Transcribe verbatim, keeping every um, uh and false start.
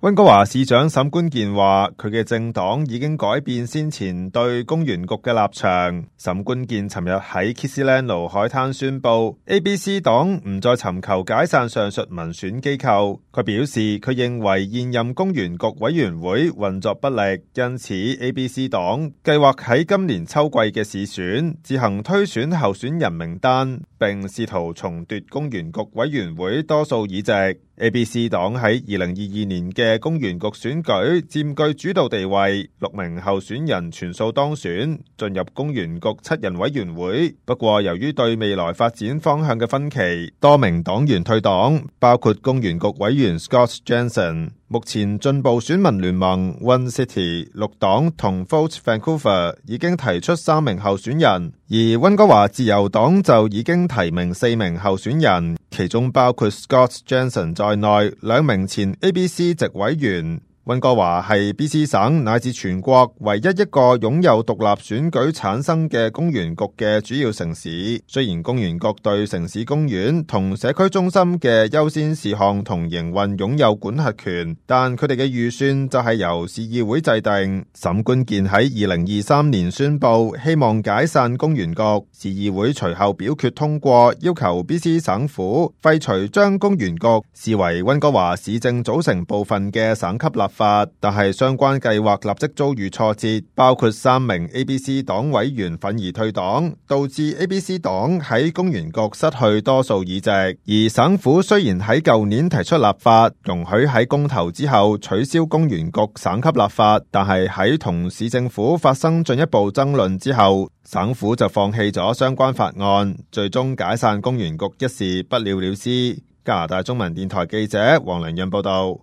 溫哥華市長沈觀健話，佢嘅政黨已經改變先前對公園局嘅立場。沈觀健尋日喺 Kitsylano 海灘宣布 A B C 黨唔再尋求解散上述民選機構。佢表示，佢認為現任公園局委員會運作不力，因此 A B C 黨計劃喺今年秋季嘅市選自行推選候選人名單，並試圖重奪公園局委員會多數議席。A B C 黨喺二零二二年嘅公園局選舉佔據主導地位，六名候選人全數當選，進入公園局七人委員會。不過由於對未來發展方向嘅分歧，多名黨員退黨，包括公園局委員 Scott Jensen。目前進步選民聯盟 One City、綠黨同 Vote Vancouver 已經提出三名候選人，而溫哥華自由黨就已經提名四名候選人，其中包括 Scott Jensen 在內兩名前 A B C 籍委員。溫哥華係 B C 省乃至全國唯一一個擁有獨立選舉產生嘅公園局嘅主要城市。雖然公園局對城市公園同社區中心嘅優先事項同營運擁有管轄權，但佢哋嘅預算就係由市議會制定。沈觀健喺二零二三年宣布希望解散公園局，市議會隨後表決通過，要求 B C 省府廢除將公園局視為溫哥華市政組成部分嘅省級立法。但係相關計劃立即遭遇挫折，包括三名 A B C 黨委員憤而退黨，導致 A B C 黨喺公園局失去多數議席。而省府雖然喺舊年提出立法，容許喺公投之後取消公園局省級立法，但係喺同市政府發生進一步爭論之後，省府就放棄咗相關法案，最終解散公園局一事不了了之。加拿大中文電台記者黃良潤報道。